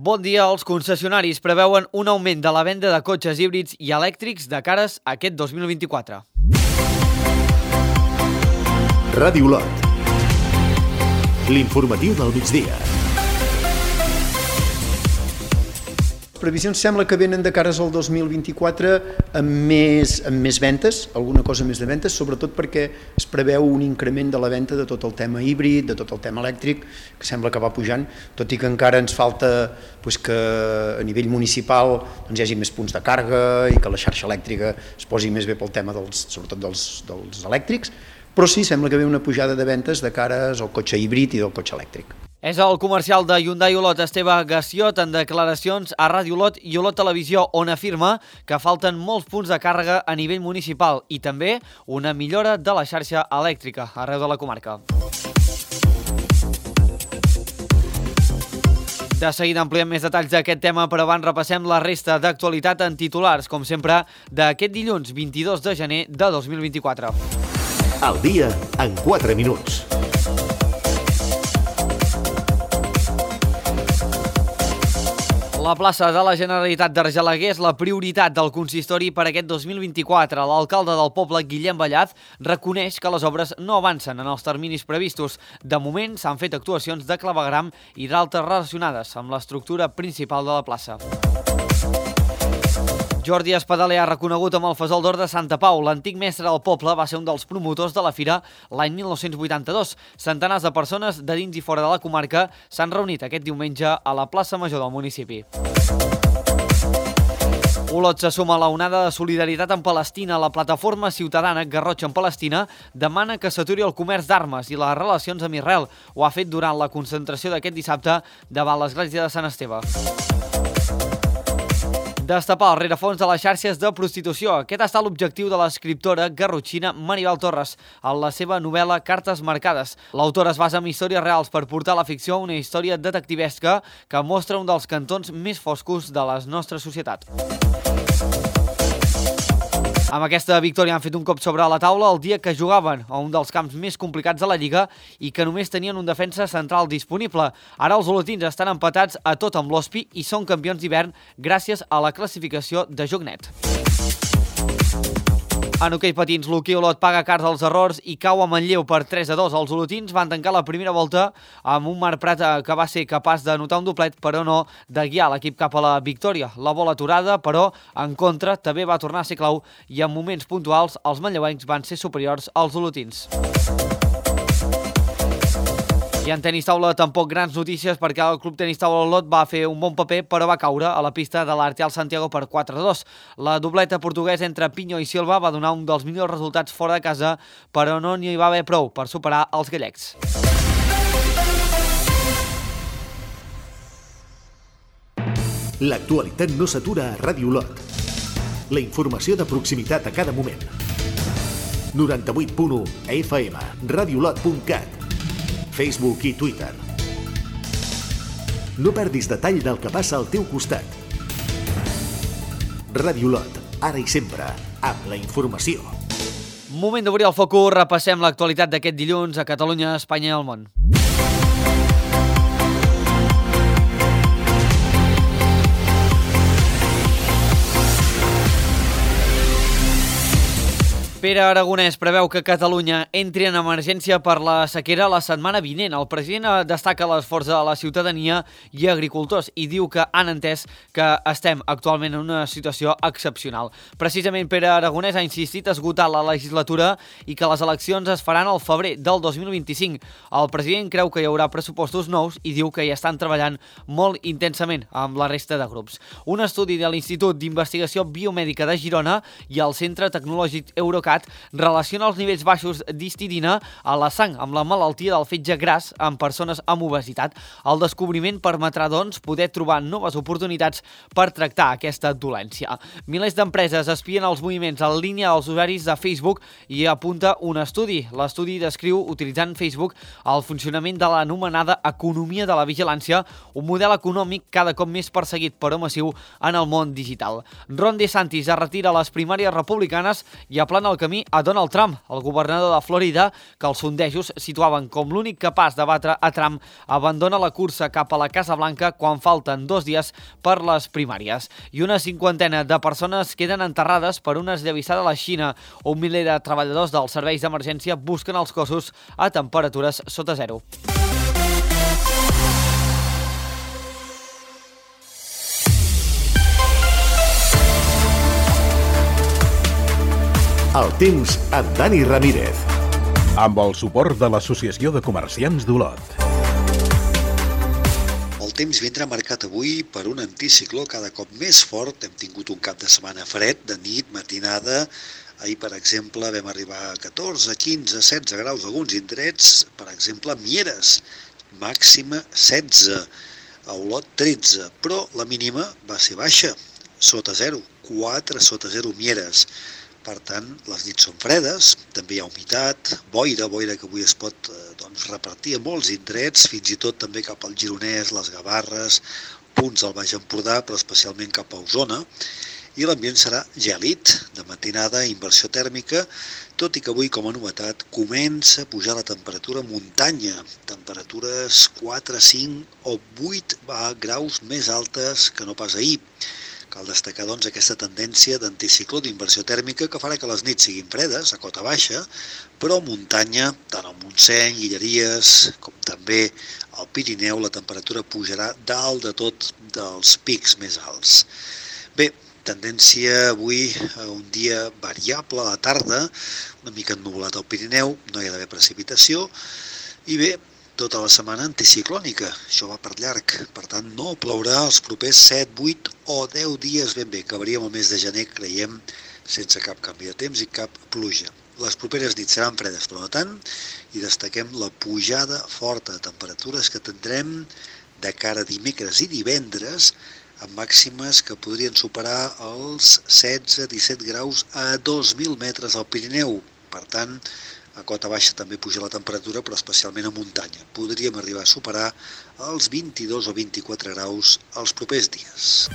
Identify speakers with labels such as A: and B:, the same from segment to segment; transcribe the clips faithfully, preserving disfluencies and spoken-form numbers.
A: Bon dia. Els concessionaris preveuen un augment de la venda de cotxes híbrids i elèctrics de cares a aquest dos mil vint-i-quatre.
B: Ràdio Lot. L'informatiu del migdia.
C: Previsions sembla que venen de cares al dos mil vint-i-quatre amb més, amb més ventes, alguna cosa més de ventes, sobretot perquè es preveu un increment de la venda de tot el tema híbrid, de tot el tema elèctric, que sembla que va pujant, tot i que encara ens falta doncs, que a nivell municipal doncs, hi hagi més punts de càrrega i que la xarxa elèctrica es posi més bé pel tema dels, sobretot dels, dels elèctrics, però sí, sembla que ve una pujada de ventes de cares al cotxe híbrid i del cotxe elèctric.
A: És el comercial de Hyundai Olot, Esteve Gassiot, en declaracions a Ràdio Olot i Olot Televisió, on afirma que falten molts punts de càrrega a nivell municipal i també una millora de la xarxa elèctrica arreu de la comarca. De seguida ampliem més detalls d'aquest tema, però abans repassem la resta d'actualitat en titulars, com sempre, d'aquest dilluns vint-i-dos de gener de dos mil vint-i-quatre.
B: El dia en quatre minuts.
A: La plaça de la Generalitat d'Argelaguer és la prioritat del consistori per aquest dos mil vint-i-quatre. L'alcalde del poble, Guillem Ballaz, reconeix que les obres no avancen en els terminis previstos. De moment s'han fet actuacions de clavegram i d'altres relacionades amb l'estructura principal de la plaça. Jordi Espadaler ha reconegut amb el Fesol d'Or de Santa Pau. L'antic mestre del poble va ser un dels promotors de la fira l'any mil nou-cents vuitanta-dos. Centenars de persones de dins i fora de la comarca s'han reunit aquest diumenge a la plaça Major del municipi. Olot se suma a la onada de solidaritat amb Palestina. La plataforma ciutadana Garrotxa en Palestina demana que s'aturi el comerç d'armes i les relacions amb Israel. Ho ha fet durant la concentració d'aquest dissabte davant l'església de Sant Esteve. Destapar el rerefons de les xarxes de prostitució. Aquest ha estat l'objectiu de l'escriptora garrotxina Maribel Torres en la seva novel·la Cartes marcades. L'autora es basa en històries reals per portar a la ficció una història detectivesca que mostra un dels cantons més foscos de la nostra societat. Amb aquesta victòria han fet un cop sobre la taula el dia que jugaven a un dels camps més complicats de la Lliga i que només tenien un defensa central disponible. Ara els olotins estan empatats a tot amb l'Ospi i són campions d'hivern gràcies a la classificació de joc net. En hoquei patins, l'Hoquei Olot paga cars als errors i cau a Manlleu per tres a dos. Els olotins van tancar la primera volta amb un Marc Prat que va ser capaç de notar un doblet, però no de guiar l'equip cap a la victòria. La bola aturada, però, en contra, també va tornar a ser clau i en moments puntuals els manlleuencs van ser superiors als olotins. I en tenis taula tampoc grans notícies perquè el Club Tenis Taula Olot va fer un bon paper però va caure a la pista de l'Arteal Santiago per quatre a dos. La dobleta portuguesa entre Pinho i Silva va donar un dels millors resultats fora de casa, però no n'hi va haver prou per superar els gallecs.
B: L'actualitat no s'atura a Ràdio Olot. La informació de proximitat a cada moment. noranta-vuit punt u F M, radiolot punt cat, Facebook i Twitter. No perdis detall del que passa al teu costat. Ràdio Olot, ara i sempre, amb la informació.
A: Moment d'obrir el focus, repassem l'actualitat d'aquest dilluns a Catalunya, Espanya i el món. Pere Aragonès preveu que Catalunya entri en emergència per la sequera la setmana vinent. El president destaca l'esforç de la ciutadania i agricultors i diu que han entès que estem actualment en una situació excepcional. Precisament Pere Aragonès ha insistit a esgotar la legislatura i que les eleccions es faran al febrer del dos mil vint-i-cinc. El president creu que hi haurà pressupostos nous i diu que hi estan treballant molt intensament amb la resta de grups. Un estudi de l'Institut d'Investigació Biomèdica de Girona i el Centre Tecnològic Eurocat relaciona els nivells baixos d'histidina a la sang amb la malaltia del fetge gras en persones amb obesitat. El descobriment permetrà, doncs, poder trobar noves oportunitats per tractar aquesta dolència. Milers d'empreses espien els moviments en línia als usuaris de Facebook i apunta un estudi. L'estudi descriu, utilitzant Facebook, el funcionament de l'anomenada economia de la vigilància, un model econòmic cada cop més perseguit però massiu en el món digital. Ron DeSantis es retira a les primàries republicanes i aplana el camí a Donald Trump, el governador de Florida, que els sondejos situaven com l'únic capaç de batre a Trump, abandona la cursa cap a la Casa Blanca quan falten dos dies per les primàries. I una cinquantena de persones queden enterrades per una esllavissada a la Xina. Un miler de treballadors dels serveis d'emergència busquen els cossos a temperatures sota zero.
B: El temps amb Dani Ramírez.
D: Amb el suport de l'Associació de Comerciants d'Olot.
E: El temps vindrà marcat avui per un anticicló cada cop més fort. Hem tingut un cap de setmana fred, de nit, matinada. Ahir, per exemple, vam arribar a catorze, quinze, setze graus a alguns indrets. Per exemple, a Mieres, màxima setze. A Olot, tretze. Però la mínima va ser baixa, sota zero. quatre sota zero Mieres. Per tant, les nits són fredes, també hi ha humitat, boira, boira que avui es pot eh, doncs, repartir a molts indrets, fins i tot també cap al Gironès, les Gavarres, punts del Baix Empordà, però especialment cap a Osona, i l'ambient serà gèlid, de matinada, inversió tèrmica, tot i que avui, com a novetat, comença a pujar la temperatura muntanya, temperatures quatre, cinc o vuit graus més altes que no pas ahir. Cal destacar, doncs, aquesta tendència d'anticicló d'inversió tèrmica que farà que les nits siguin fredes, a cota baixa, però a muntanya, tant al Montseny, Guilleries, com també al Pirineu, la temperatura pujarà dalt de tot dels pics més alts. Bé, tendència avui a un dia variable a la tarda, una mica ennuvolat al Pirineu, no hi ha d'haver precipitació, i bé, tota la setmana anticiclònica, això va per llarg, per tant no plourà els propers set, vuit o deu dies ben bé, acabaríem el mes de gener, creiem, sense cap canvi de temps i cap pluja. Les properes nits seran fredes, però no tant, i destaquem la pujada forta de temperatures que tindrem de cara a dimecres i divendres, amb màximes que podrien superar els setze a disset graus a dos mil metres al Pirineu. Per tant, a cota baixa també puja la temperatura, però especialment a muntanya. Podríem arribar a superar els vint-i-dos o vint-i-quatre graus els propers dies.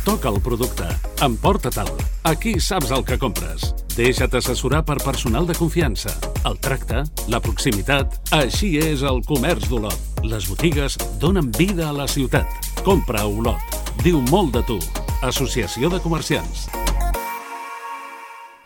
D: Toca el producte. Emporta-te'l. Aquí saps el que compres. Deixa't assessorar per personal de confiança. El tracte, la proximitat, així és el comerç d'Olot. Les botigues donen vida a la ciutat. Compra a Olot. Diu molt de tu. Associació de Comerciants.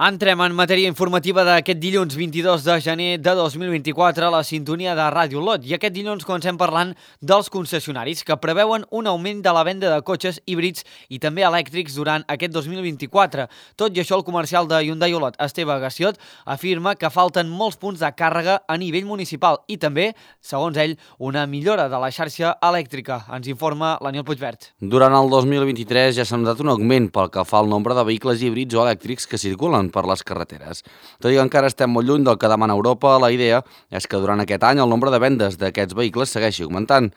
A: Entrem en matèria informativa d'aquest dilluns vint-i-dos de gener de dos mil vint-i-quatre a la sintonia de Ràdio Olot. I aquest dilluns comencem parlant dels concessionaris que preveuen un augment de la venda de cotxes híbrids i també elèctrics durant aquest dos mil vint-i-quatre. Tot i això, el comercial de Hyundai Olot, Esteve Gassiot, afirma que falten molts punts de càrrega a nivell municipal i també, segons ell, una millora de la xarxa elèctrica. Ens informa l'Aniel Puigvert.
F: Durant el dos mil vint-i-tres ja s'ha notat un augment pel que fa al nombre de vehicles híbrids o elèctrics que circulen per les carreteres. Tot i que encara estem molt lluny del que demana Europa, la idea és que durant aquest any el nombre de vendes d'aquests vehicles segueixi augmentant.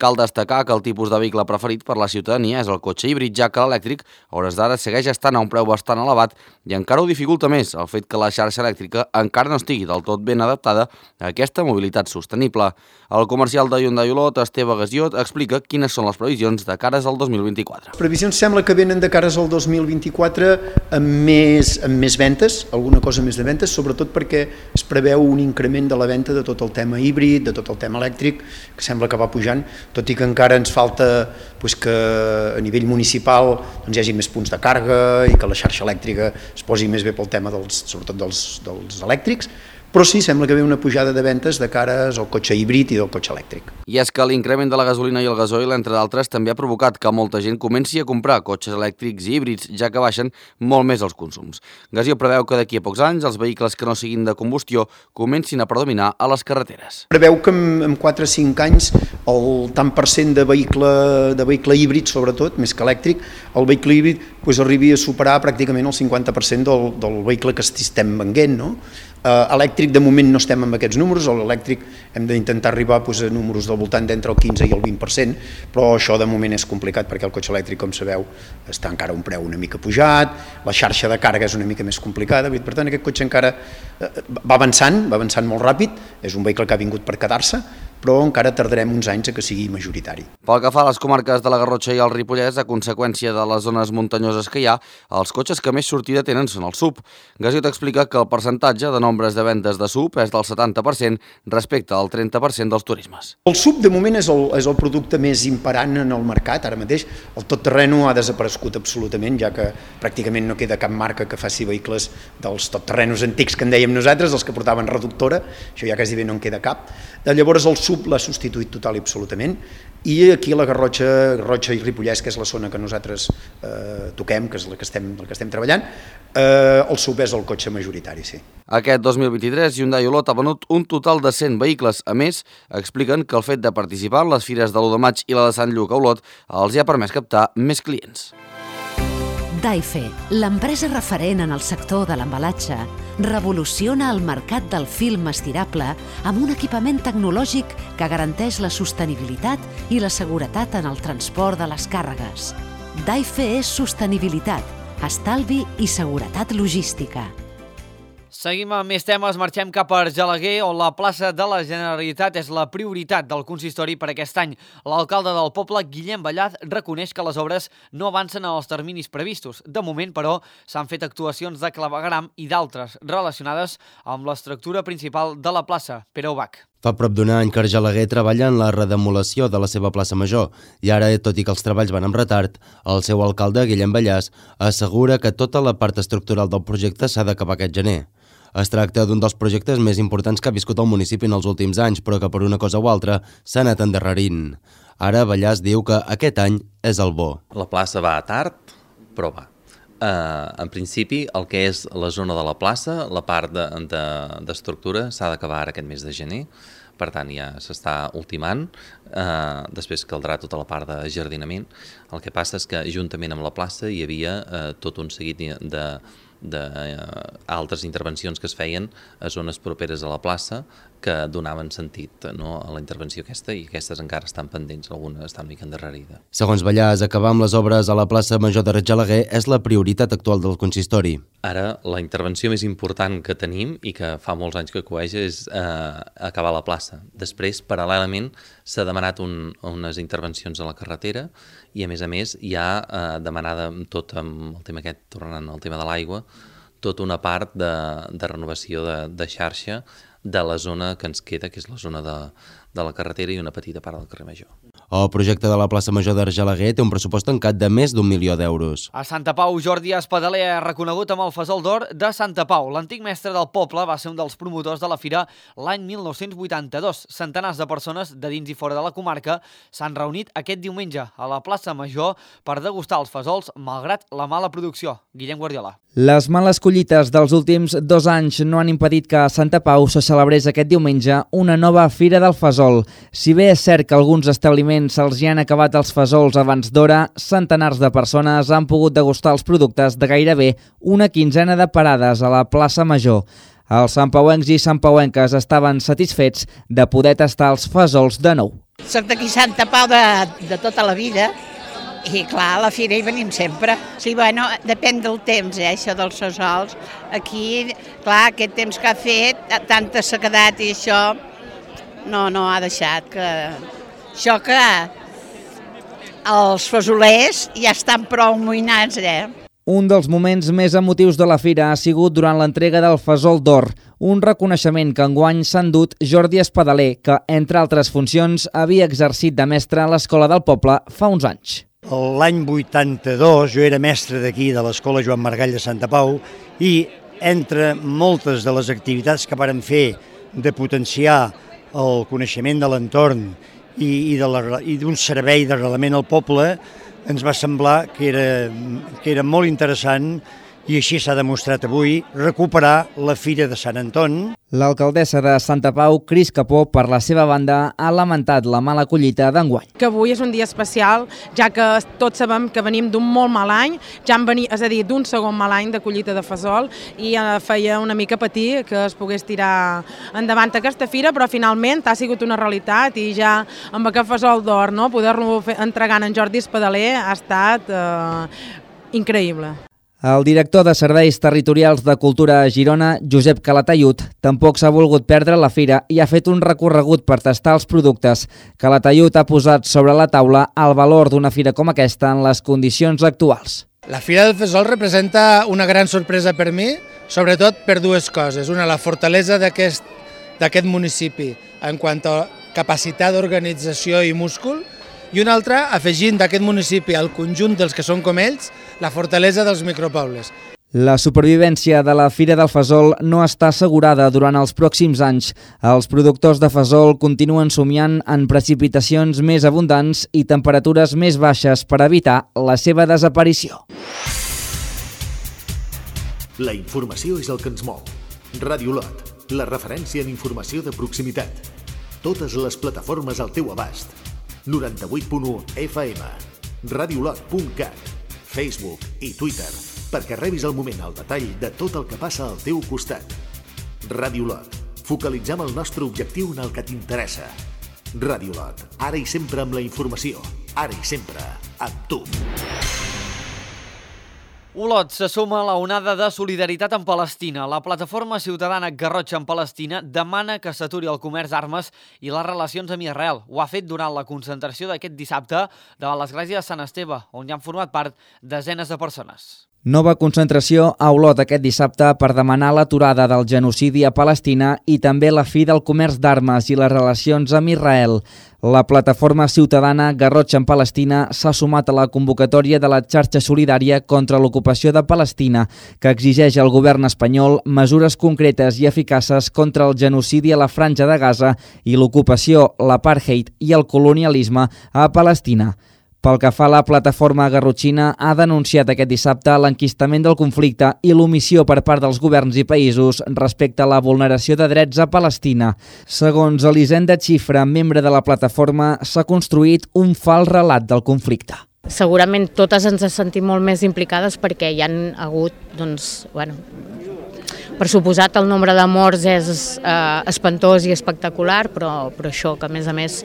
F: Cal destacar que el tipus de vehicle preferit per la ciutadania és el cotxe híbrid, ja que l'elèctric a hores d'ara segueix estant a un preu bastant elevat i encara ho dificulta més el fet que la xarxa elèctrica encara no estigui del tot ben adaptada a aquesta mobilitat sostenible. El comercial de Hyundai Olot, Esteve Gassiot, explica quines són les previsions de cares al dos mil vint-i-quatre.
C: Previsions sembla que venen de cares al dos mil vint-i-quatre amb més, amb més ventes, alguna cosa més de ventes, sobretot perquè es preveu un increment de la venda de tot el tema híbrid, de tot el tema elèctric, que sembla que va pujant, tot i que encara ens falta doncs, que a nivell municipal doncs, hi hagi més punts de càrrega i que la xarxa elèctrica es posi més bé pel tema dels, sobretot dels, dels elèctrics, però sí, sembla que ve una pujada de ventes de cares al cotxe híbrid i del cotxe elèctric.
F: I és que l'increment de la gasolina i el gasoil, entre d'altres, també ha provocat que molta gent comenci a comprar cotxes elèctrics i híbrids, ja que baixen molt més els consums. Gassiot preveu que d'aquí a pocs anys els vehicles que no siguin de combustió comencin a predominar a les carreteres.
C: Preveu que en, en quatre o cinc anys el tant per cent de vehicle, de vehicle híbrid, sobretot, més que elèctric, el vehicle híbrid doncs, arribi a superar pràcticament el cinquanta per cent del, del vehicle que estem venent, no? Uh, elèctric de moment no estem amb aquests números, l'elèctric hem d'intentar arribar doncs, a números del voltant d'entre el quinze i el vint per cent, però això de moment és complicat perquè el cotxe elèctric, com sabeu, està encara a un preu una mica pujat, la xarxa de càrrega és una mica més complicada, per tant aquest cotxe encara uh, va avançant, va avançant molt ràpid, és un vehicle que ha vingut per quedar-se, però encara tardarem uns anys a que sigui majoritari.
F: Pel que fa a les comarques de la Garrotxa i el Ripollès, a conseqüència de les zones muntanyoses que hi ha, els cotxes que més sortida tenen són els S U V. Gasiot explica que el percentatge de nombres de vendes de S U V és del setanta per cent respecte al trenta per cent dels turismes.
C: El S U V de moment és el, és el producte més imperant en el mercat ara mateix. El totterreno ha desaparegut absolutament, ja que pràcticament no queda cap marca que faci vehicles dels totterrenos antics que en dèiem nosaltres, els que portaven reductora, això ja quasi bé no en queda cap. Llavors el S U V l'ha substituït total i absolutament, i aquí a la Garrotxa, Garrotxa i Ripollès, que és la zona que nosaltres eh, toquem, que és la que estem, la que estem treballant, eh, el S U V és el cotxe majoritari, sí.
F: Aquest dos mil vint-i-tres, Hyundai Olot ha venut un total de cent vehicles. A més, expliquen que el fet de participar en les fires de l'u de maig i la de Sant Lluc a Olot els hi ha permès captar més clients.
G: Daife, l'empresa referent en el sector de l'embalatge, revoluciona el mercat del film estirable amb un equipament tecnològic que garanteix la sostenibilitat i la seguretat en el transport de les càrregues. Daife és sostenibilitat, estalvi i seguretat logística.
A: Seguim amb més temes, marxem cap a Argelaguer, on la plaça de la Generalitat és la prioritat del consistori per aquest any. L'alcalde del poble, Guillem Ballaz, reconeix que les obres no avancen en els terminis previstos. De moment, però, s'han fet actuacions de clavegueram i d'altres relacionades amb l'estructura principal de la plaça. Pere Ubach.
H: Fa prop d'un any que Argelaguer treballa en la redemolació de la seva plaça Major i ara, tot i que els treballs van amb retard, el seu alcalde, Guillem Ballaz, assegura que tota la part estructural del projecte s'ha d'acabar aquest gener. Es tracta d'un dels projectes més importants que ha viscut el municipi en els últims anys, però que per una cosa o altra s'ha anat endarrerint. Ara Ballaz diu que aquest any és el bo.
I: La plaça va tard, però va. Uh, en principi, el que és la zona de la plaça, la part d'estructura, de, de, s'ha d'acabar ara aquest mes de gener, per tant ja s'està ultimant, uh, després caldrà tota la part de jardinament. El que passa és que juntament amb la plaça hi havia uh, tot un seguit de d'altres intervencions que es feien a zones properes a la plaça que donaven sentit, no, a la intervenció aquesta, i aquestes encara estan pendents, alguna està una mica endarrerida.
H: Segons Ballaz, acabar amb les obres a la plaça Major d'Argelaguer és la prioritat actual del consistori.
I: Ara, la intervenció més important que tenim i que fa molts anys que coeja és eh, acabar la plaça. Després, paral·lelament, s'ha demanat un, unes intervencions a la carretera i, a més a més, hi ha eh, demanada tot amb el tema aquest, tornant al tema de l'aigua, tota una part de, de renovació de, de xarxa de la zona que ens queda, que és la zona de, de la carretera i una petita part del carrer Major.
H: El projecte de la plaça Major d'Argelaguer té un pressupost tancat de més d'un milió d'euros.
A: A Santa Pau, Jordi Espadaler ha reconegut amb el Fesol d'Or de Santa Pau. L'antic mestre del poble va ser un dels promotors de la fira l'any mil nou-cents vuitanta-dos. Centenars de persones de dins i fora de la comarca s'han reunit aquest diumenge a la plaça Major per degustar els fesols malgrat la mala producció. Guillem Guardiola.
J: Les males collites dels últims dos anys no han impedit que a Santa Pau se celebrés aquest diumenge una nova Fira del Fesol. Si bé és cert que alguns establiments se'ls hi han acabat els fesols abans d'hora, centenars de persones han pogut degustar els productes de gairebé una quinzena de parades a la plaça Major. Els santpauencs i santpauenques estaven satisfets de poder tastar els fesols de nou.
K: Soc d'aquí Santa Pau de, de tota la vida. I clar, a la fira hi venim sempre. Sí, bueno, depèn del temps, eh, això dels fesols. Aquí, clar, aquest temps que ha fet, tanta sequedat i això, no, no ha deixat que... Això que els fesolers ja estan prou amoïnats, eh?
J: Un dels moments més emotius de la fira ha sigut durant l'entrega del Fesol d'Or, un reconeixement que enguany s'ha endut Jordi Espadaler, que, entre altres funcions, havia exercit de mestre a l'Escola del Poble fa uns anys.
L: L'any vuitanta-dos jo era mestre d'aquí, de l'Escola Joan Margall de Santa Pau, i entre moltes de les activitats que vàrem fer de potenciar el coneixement de l'entorn i, i d'un servei d'arrelament al poble, ens va semblar que era, que era molt interessant, i així s'ha demostrat avui, recuperar la Fira de Sant Anton.
J: L'alcaldessa de Santa Pau, Cris Capó, per la seva banda, ha lamentat la mala collita d'enguany.
M: Que avui és un dia especial, ja que tots sabem que venim d'un molt mal any, ja en veni, és a dir, d'un segon mal any de collita de fesol, i feia una mica patir que es pogués tirar endavant aquesta fira, però finalment ha sigut una realitat, i ja amb aquest Fesol d'Or, no, poder-lo entregar en Jordi Espadaler ha estat eh, increïble.
J: El director de Serveis Territorials de Cultura a Girona, Josep Calatayud, tampoc s'ha volgut perdre la fira i ha fet un recorregut per tastar els productes. Calatayud ha posat sobre la taula el valor d'una fira com aquesta en les condicions actuals.
N: La Fira del Fesol representa una gran sorpresa per mi, sobretot per dues coses. Una, la fortalesa d'aquest d'aquest municipi en quant a capacitat d'organització i múscul, i una altra, afegint d'aquest municipi al conjunt dels que són com ells, la fortalesa dels micropobles.
J: La supervivència de la Fira del Fesol no està assegurada durant els pròxims anys. Els productors de fesol continuen somiant en precipitacions més abundants i temperatures més baixes per evitar la seva desaparició.
B: La informació és el que ens mou. Ràdio Lot, la referència en informació de proximitat. Totes les plataformes al teu abast. noranta-vuit punt u F M, radiolot punt cat, Facebook i Twitter, perquè rebis al moment el detall de tot el que passa al teu costat. Ràdio Lot, focalitzem el nostre objectiu en el que t'interessa. Ràdio Lot, ara i sempre amb la informació, ara i sempre amb tu.
A: Olot se suma a la onada de solidaritat amb Palestina. La plataforma ciutadana Garrotxa en Palestina demana que s'aturi el comerç d'armes i les relacions amb Israel. Ho ha fet durant la concentració d'aquest dissabte davant l'església de Sant Esteve, on hi han format part desenes de persones.
J: Nova concentració a Olot aquest dissabte per demanar l'aturada del genocidi a Palestina i també la fi del comerç d'armes i les relacions amb Israel. La plataforma ciutadana Garrotxa en Palestina s'ha sumat a la convocatòria de la xarxa solidària contra l'ocupació de Palestina, que exigeix al govern espanyol mesures concretes i eficaces contra el genocidi a la Franja de Gaza i l'ocupació, l'apartheid i el colonialisme a Palestina. Pel que fa a la plataforma garrotxina, ha denunciat aquest dissabte l'enquistament del conflicte i l'omissió per part dels governs i països respecte a la vulneració de drets a Palestina. Segons Elisenda Xifra, membre de la plataforma, s'ha construït un fals relat del conflicte.
O: Segurament totes ens sentim molt més implicades perquè hi han hagut, doncs, bueno, per suposat el nombre de morts és eh, espantós i espectacular, però, però això, que a més a més,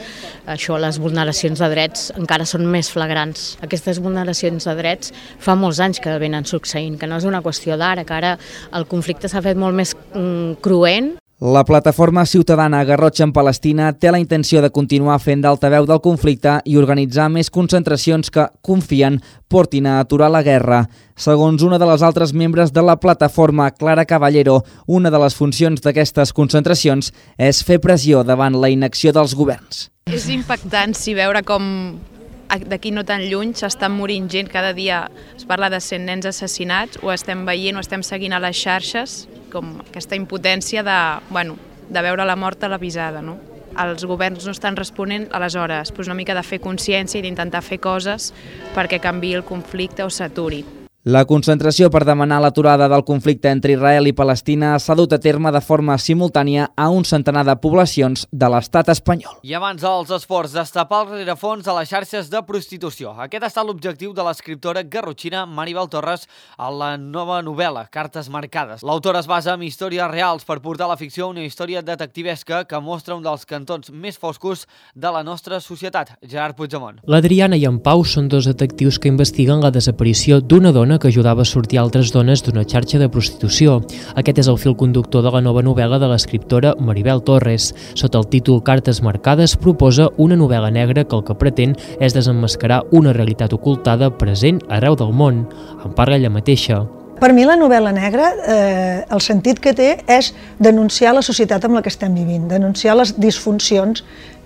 O: això, les vulneracions de drets encara són més flagrants. Aquestes vulneracions de drets fa molts anys que venen succeint, que no és una qüestió d'ara, que ara el conflicte s'ha fet molt més mm, cruent.
J: La plataforma ciutadana Garrotxa en Palestina té la intenció de continuar fent d'altaveu del conflicte i organitzar més concentracions que, confien, portin a aturar la guerra. Segons una de les altres membres de la plataforma, Clara Caballero, una de les funcions d'aquestes concentracions és fer pressió davant la inacció dels governs.
P: És impactant si veure com d'aquí no tan lluny s'estan morint gent, cada dia es parla de cent nens assassinats, ho estem veient, ho estem seguint a les xarxes, com aquesta impotència de, bueno, de veure la mort televisada, no? Els governs no estan responent, aleshores, doncs una mica de fer consciència i d'intentar fer coses perquè canviï el conflicte o s'aturi.
J: La concentració per demanar l'aturada del conflicte entre Israel i Palestina s'ha dut a terme de forma simultània a un centenar de poblacions de l'estat espanyol.
A: I abans dels esports, destapar el rerefons a les xarxes de prostitució. Aquest ha estat l'objectiu de l'escriptora garrotxina Maribel Torres a la nova novel·la, Cartes marcades. L'autora es basa en històries reals per portar a la ficció una història detectivesca que mostra un dels cantons més foscos de la nostra societat. Gerard Puigdemont.
Q: L'Adriana i en Pau són dos detectius que investiguen la desaparició d'una dona que ajudava a sortir altres dones d'una xarxa de prostitució. Aquest és el fil conductor de la nova novel·la de l'escriptora Maribel Torres. Sota el títol Cartes marcades proposa una novel·la negra que el que pretén és desemmascarar una realitat ocultada present arreu del món. En parla ella mateixa.
R: Per mi la novel·la negra, eh, el sentit que té és denunciar la societat amb la que estem vivint, denunciar les disfuncions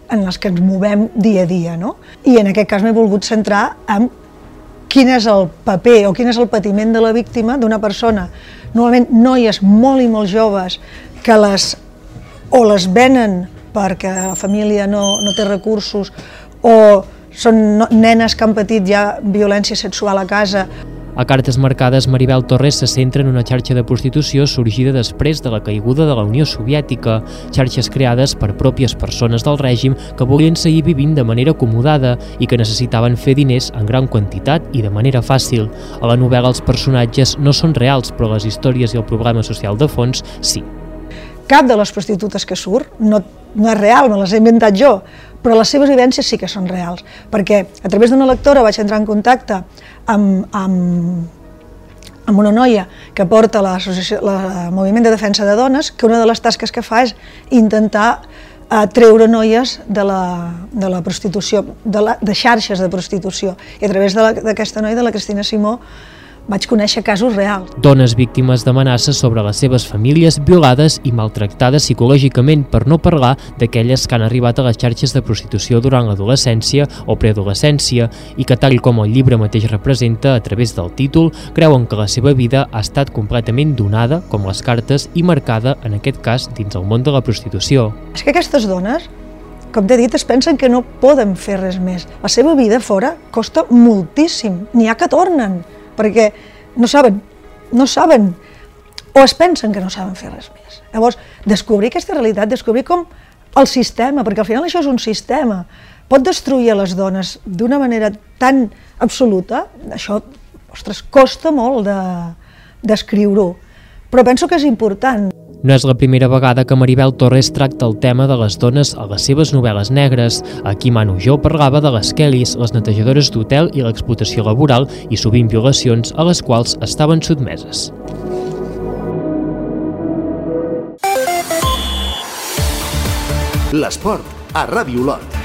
R: en les que ens movem dia a dia, no? I en aquest cas m'he volgut centrar en quin és el paper o quin és el patiment de la víctima d'una persona, normalment noies molt i molt joves, que les o les venen perquè la família no, no té recursos o són nenes que han patit ja violència sexual a casa.
Q: A Cartes marcades, Maribel Torres se centra en una xarxa de prostitució sorgida després de la caiguda de la Unió Soviètica, xarxes creades per pròpies persones del règim que volien seguir vivint de manera acomodada i que necessitaven fer diners en gran quantitat i de manera fàcil. A la novel·la els personatges no són reals, però les històries i el problema social de fons sí.
R: Cap de les prostitutes que surt no, no és real, me les he inventat jo, però les seves vivències sí que són reals, perquè a través d'una lectora vaig entrar en contacte amb, amb, amb una noia que porta el Moviment de Defensa de Dones, que una de les tasques que fa és intentar eh, treure noies de la, de la prostitució, de, la, de xarxes de prostitució. I a través d'aquesta noia, de la Cristina Simó, vaig conèixer casos reals.
Q: Dones víctimes d'amenaces sobre les seves famílies violades i maltractades psicològicament, per no parlar d'aquelles que han arribat a les xarxes de prostitució durant l'adolescència o preadolescència i que, tal com el llibre mateix representa a través del títol, creuen que la seva vida ha estat completament donada, com les cartes, i marcada, en aquest cas, dins el món de la prostitució.
R: És que aquestes dones, com t'he dit, es pensen que no poden fer res més. La seva vida fora costa moltíssim, n'hi ha que tornen, perquè no saben, no saben, o es pensen que no saben fer res més. Llavors, descobrir aquesta realitat, descobrir com el sistema, perquè al final això és un sistema, pot destruir a les dones d'una manera tan absoluta, això, ostres, costa molt de, d'escriure-ho, però penso que és important.
Q: No és la primera vegada que Maribel Torres tracta el tema de les dones a les seves novel·les negres. Aquí Manu Jo parlava de les Kellys, les netejadores d'hotel i l'explotació laboral i sovint violacions a les quals estaven sotmeses.
B: L'esport a Ràdio Olot.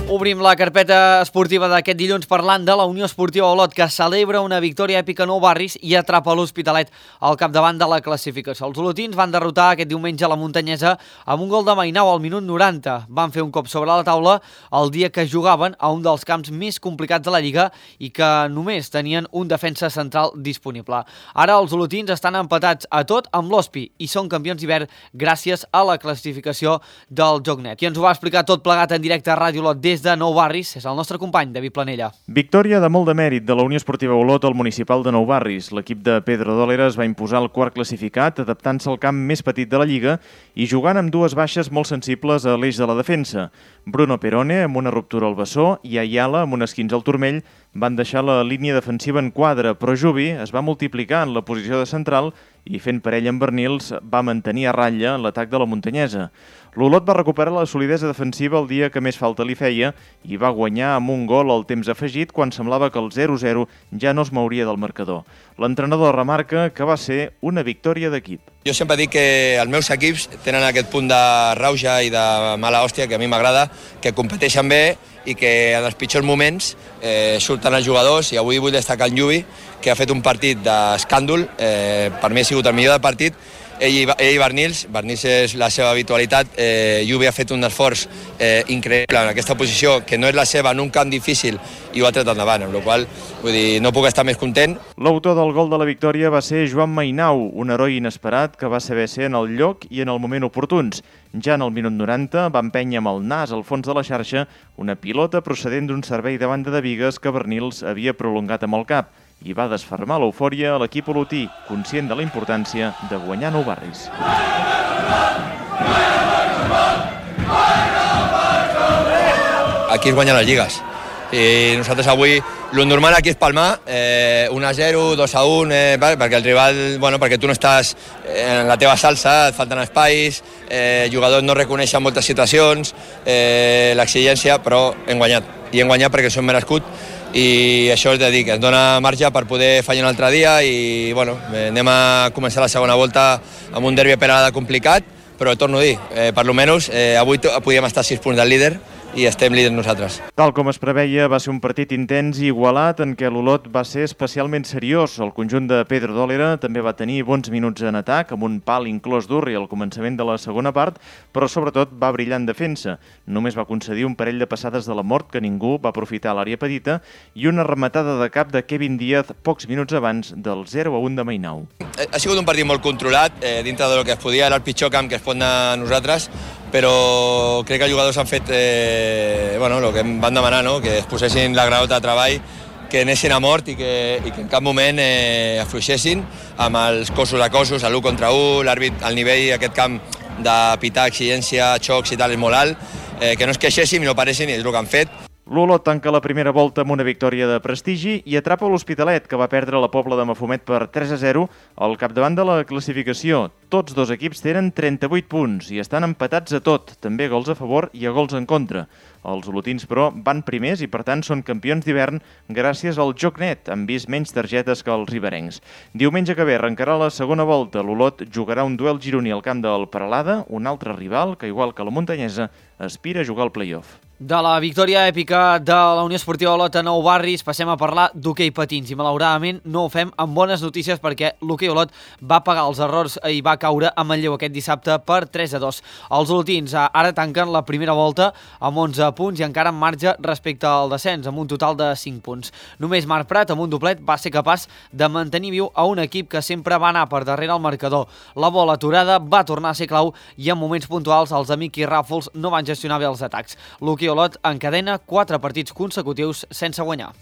A: Obrim la carpeta esportiva d'aquest dilluns parlant de la Unió Esportiva Olot, que celebra una victòria èpica a Nou Barris i atrapa l'Hospitalet al capdavant de la classificació. Els olotins van derrotar aquest diumenge la Muntanyesa amb un gol de Mainau al minut noranta. Van fer un cop sobre la taula el dia que jugaven a un dels camps més complicats de la Lliga i que només tenien un defensa central disponible. Ara els olotins estan empatats a tot amb l'Hospi i són campions d'hivern gràcies a la classificació del Jocnet. I ens ho va explicar tot plegat en directe a Ràdio Olot des de Nou Barris, és el nostre company, David Planella.
S: Victòria de molt de mèrit de la Unió Esportiva Olot al municipal de Nou Barris. L'equip de Pedro Dólera es va imposar el quart classificat, adaptant-se al camp més petit de la Lliga i jugant amb dues baixes molt sensibles a l'eix de la defensa. Bruno Perone, amb una ruptura al bessó, i Ayala, amb un esquinç al turmell, van deixar la línia defensiva en quadre, però Jubi es va multiplicar en la posició de central i fent parella amb Bernils va mantenir a ratlla l'atac de la Muntanyesa. L'Olot va recuperar la solidesa defensiva el dia que més falta li feia i va guanyar amb un gol al temps afegit quan semblava que el zero zero ja no es mouria del marcador. L'entrenador remarca que va ser una victòria d'equip.
T: Jo sempre dic que els meus equips tenen aquest punt de rauja i de mala hòstia que a mi m'agrada, que competeixen bé i que en els pitjors moments eh, surten els jugadors, i avui vull destacar en Lluvi, que ha fet un partit d'escàndol, eh, per mi ha sigut el millor del partit, ell i, ell i Bernils, Bernils és la seva habitualitat, eh, Lluvi ha fet un esforç eh, increïble en aquesta posició, que no és la seva, en un camp difícil, i ho ha tret endavant, amb la qual vull dir, no puc estar més content.
S: L'autor del gol de la victòria va ser Joan Mainau, un heroi inesperat que va saber ser en el lloc i en el moment oportuns. Ja en el minut noranta va empènyer amb el nas al fons de la xarxa una pilota procedent d'un servei de banda de bigues que Bernils havia prolongat amb el cap i va desfermar l'eufòria a l'equip olotí, conscient de la importància de guanyar Nou Barris.
T: Aquí es guanyen les lligues. I nosaltres avui, el normal aquí és palmar, eh, un a zero, dos a un, eh, perquè el rival, bueno, perquè tu no estàs en la teva salsa, et falten espais, eh, els jugadors no reconeixen moltes situacions, eh, l'exigència, però hem guanyat. I hem guanyat perquè som merescut i això és de dir, que ens dona marge per poder fallar un altre dia i, bueno, anem a començar la segona volta amb un derbi a Peralada complicat, però torno a dir, eh, per lo menys, eh, avui podíem estar a sis punts del líder i estem líders nosaltres.
S: Tal com es preveia, va ser un partit intens i igualat en què l'Olot va ser especialment seriós. El conjunt de Pedro Dólera també va tenir bons minuts en atac, amb un pal inclòs d'Urri al començament de la segona part, però sobretot va brillar en defensa. Només va concedir un parell de passades de la mort que ningú va aprofitar a l'àrea petita i una rematada de cap de Kevin Díaz pocs minuts abans del zero a un de Mainau.
T: Ha sigut un partit molt controlat, eh, dintre del que es podia, era el pitjor camp que es pot anar a nosaltres, però crec que els jugadors han fet eh, bueno, el que em van demanar, no? Que es posessin la graota de treball, que anessin a mort i que, i que en cap moment eh, afluixessin amb els cossos a cossos, l'u contra u, l'àrbit, el nivell aquest camp de pitar, exigència, xocs i tal és molt alt, eh, que no es queixessin i no paressin i és el que han fet.
S: L'Olot tanca la primera volta amb una victòria de prestigi i atrapa l'Hospitalet, que va perdre la Pobla de Mafumet per tres a zero al capdavant de la classificació. Tots dos equips tenen trenta-vuit punts i estan empatats a tot, també gols a favor i a gols en contra. Els olotins, però, van primers i, per tant, són campions d'hivern gràcies al joc net, han vist menys targetes que els riberencs. Diumenge que ve arrencarà la segona volta. L'Olot jugarà un duel gironí al camp del Peralada, un altre rival que, igual que la muntanyesa, aspira a jugar al play-off.
A: De la victòria èpica de la Unió Esportiva Olot a Nou Barris passem a parlar d'hoquei patins i malauradament no ho fem amb bones notícies perquè l'hoquei Olot va pagar els errors i va caure a Manlleu aquest dissabte per tres a dos. Els olotins ara tanquen la primera volta amb onze punts i encara en marge respecte al descens amb un total de cinc punts. Només Marc Prat amb un doblet va ser capaç de mantenir viu a un equip que sempre va anar per darrere el marcador. La bola aturada va tornar a ser clau i en moments puntuals els de Miqui Ràfols no van gestionar bé els atacs. L'hoquei Olot encadena quatre partits consecutius sense guanyar.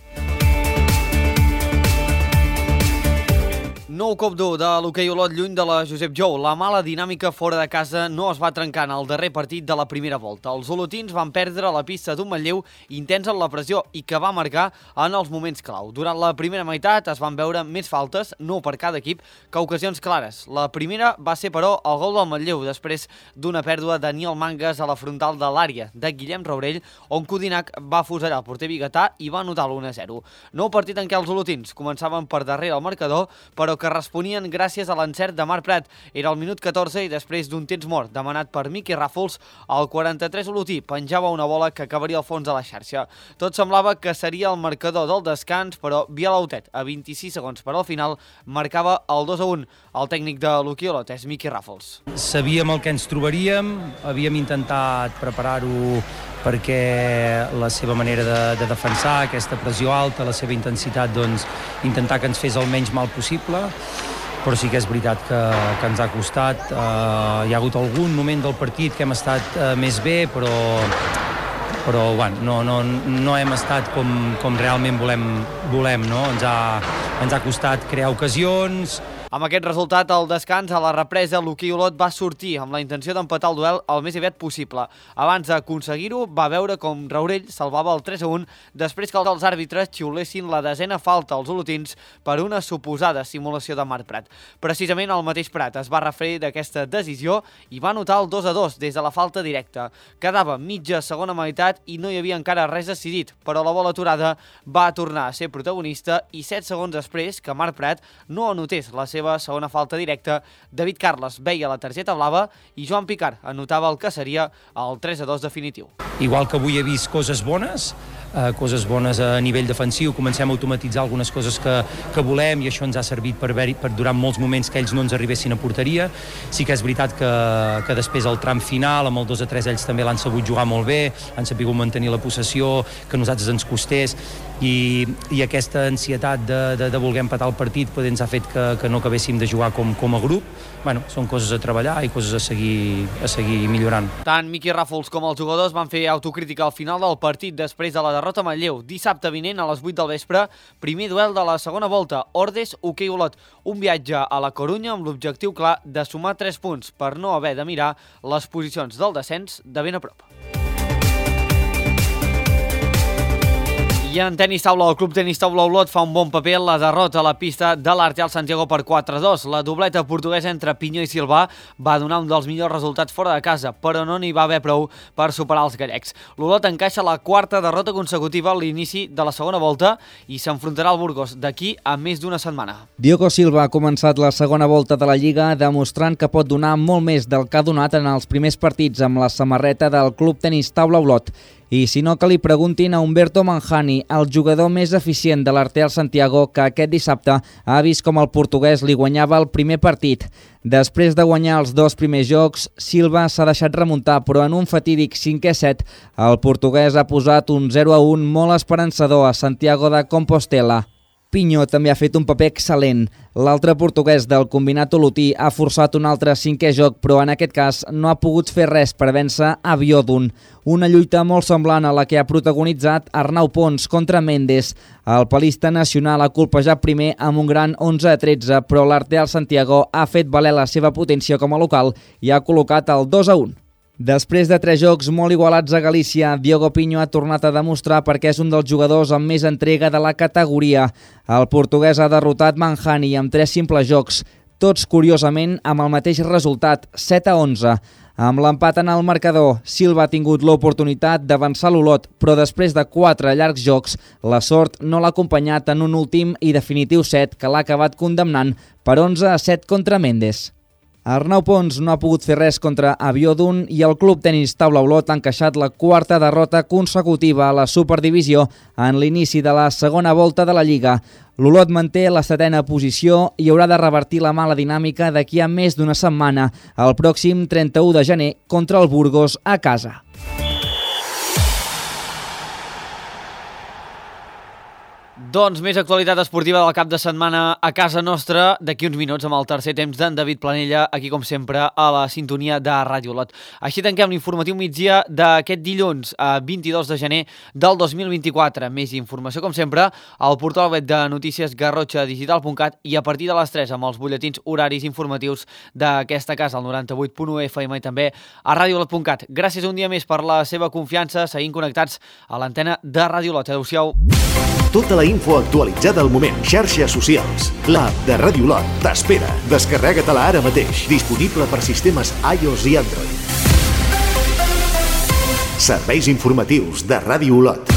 A: Nou cop dur de l'hoquei Olot lluny de la Josep Jou. La mala dinàmica fora de casa no es va trencar en el darrer partit de la primera volta. Els olotins van perdre la pista d'un Manlleu intens en la pressió i que va marcar en els moments clau. Durant la primera meitat es van veure més faltes, no per cada equip, que ocasions clares. La primera va ser, però, el gol del Manlleu, després d'una pèrdua de Daniel Mangas a la frontal de l'àrea de Guillem Raurell, on Codinac va fusellar el porter biguetà i va anotar l'u a zero. Nou partit en què els olotins començaven per darrere el marcador, però que responien gràcies a l'encert de Marc Prat. Era el minut catorze i després d'un temps mort demanat per Miqui Ràfols, el quaranta-tres olotí penjava una bola que acabaria al fons de la xarxa. Tot semblava que seria el marcador del descans, però Vialautet, a vint-i-sis segons per al final, marcava el dos a un. El tècnic de l'hoquei Olot és Miqui Ràfols.
U: Sabíem el que ens trobaríem, havíem intentat preparar-ho perquè la seva manera de, de defensar, aquesta pressió alta, la seva intensitat, doncs, intentar que ens fes el menys mal possible, però sí que és veritat que, que ens ha costat. Uh, hi ha hagut algun moment del partit que hem estat uh, més bé, però, però bueno, no, no, no hem estat com, com realment volem, volem no? Ens ha, ens ha costat crear ocasions.
A: Amb aquest resultat, al descans, a la represa, l'hoquei Olot va sortir amb la intenció d'empatar el duel el més aviat possible. Abans d'aconseguir-ho, va veure com Raurell salvava el tres a un després que els àrbitres xiulessin la desena falta als olotins per una suposada simulació de Marc Prat. Precisament el mateix Prat es va referir d'aquesta decisió i va anotar el dos a dos des de la falta directa. Quedava mitja segona meitat i no hi havia encara res decidit, però la bola aturada va tornar a ser protagonista i set segons després que Marc Prat no anotés la seva seva segona falta directa, David Carles veia la targeta blava i Joan Picard anotava el que seria el tres a dos definitiu.
U: Igual que avui he vist coses bones, eh, coses bones a nivell defensiu, comencem a automatitzar algunes coses que, que volem i això ens ha servit per, haver, per durant molts moments que ells no ens arribessin a porteria. Sí que és veritat que, que després al tram final, amb el dos a tres, ells també l'han sabut jugar molt bé, han sabut mantenir la possessió, que a nosaltres ens costés, i, i aquesta ansietat de, de, de voler empatar el partit pues, ens ha fet que, que no acabéssim de jugar com, com a grup. Bueno, són coses a treballar i coses a seguir, a seguir millorant.
A: Tant Miqui Ràfols com els jugadors van fer autocrítica al final del partit després de la derrota a Manlleu. Dissabte vinent a les vuit del vespre, primer duel de la segona volta, Ordes hoquei Olot. Un viatge a la Corunya amb l'objectiu clar de sumar tres punts per no haver de mirar les posicions del descens de ben a prop. I en tenis taula, el Club Tenis Taula Olot fa un bon paper en la derrota a la pista de l'Arteal Santiago per quatre a dos. La dobleta portuguesa entre Pinyó i Silvà va donar un dels millors resultats fora de casa, però no n'hi va haver prou per superar els gallecs. L'Olot encaixa la quarta derrota consecutiva a l'inici de la segona volta i s'enfrontarà al Burgos d'aquí a més d'una setmana.
J: Diogo Silva ha començat la segona volta de la Lliga demostrant que pot donar molt més del que ha donat en els primers partits amb la samarreta del Club Tenis Taula Olot. I si no, que li preguntin a Humberto Manjani, el jugador més eficient de l'Arteal Santiago, que aquest dissabte ha vist com el portuguès li guanyava el primer partit. Després de guanyar els dos primers jocs, Silva s'ha deixat remuntar, però en un fatídic cinquè set, el portuguès ha posat un zero a un molt esperançador a Santiago de Compostela. Pinyó també ha fet un paper excel·lent. L'altre portuguès del combinat olotí ha forçat un altre cinquè joc, però en aquest cas no ha pogut fer res per vèncer a Biodun. Una lluita molt semblant a la que ha protagonitzat Arnau Pons contra Mendes. El palista nacional ha colpejat primer amb un gran onze a tretze, però l'Arteal Santiago ha fet valer la seva potència com a local i ha col·locat el dos a un. Després de tres jocs molt igualats a Galícia, Diogo Pinho ha tornat a demostrar perquè és un dels jugadors amb més entrega de la categoria. El portuguès ha derrotat Manjani amb tres simples jocs, tots curiosament amb el mateix resultat, set a onze. Amb l'empat en el marcador, Silva ha tingut l'oportunitat d'avançar l'Olot, però després de quatre llargs jocs, la sort no l'ha acompanyat en un últim i definitiu set que l'ha acabat condemnant per onze a set contra Mendes. Arnau Pons no ha pogut fer res contra Abiodun i el Club Tenis Taula Olot ha encaixat la quarta derrota consecutiva a la Superdivisió en l'inici de la segona volta de la Lliga. L'Olot manté la setena posició i haurà de revertir la mala dinàmica d'aquí a més d'una setmana, el pròxim trenta-u de gener, contra el Burgos a casa.
A: Doncs més actualitat esportiva del cap de setmana a casa nostra, d'aquí uns minuts amb el tercer temps d'en David Planella, aquí com sempre a la sintonia de Ràdio Olot. Així tanquem l'informatiu migdia d'aquest dilluns, a vint-i-dos de gener del dos mil vint-i-quatre. Més informació, com sempre, al portal web de notícies garrotxa digital punt cat i a partir de les tres amb els butlletins horaris informatius d'aquesta casa, al noranta-vuit punt u F M i també a ràdio olot punt cat. Gràcies un dia més per la seva confiança, seguint connectats a l'antena de Ràdio Olot. Adéu-siau.
B: Tota la info actualitzada al moment. Xarxes socials. L'app de Ràdio Olot t'espera. Descarrega-te-la ara mateix. Disponible per sistemes iOS i Android. Serveis informatius de Ràdio Olot.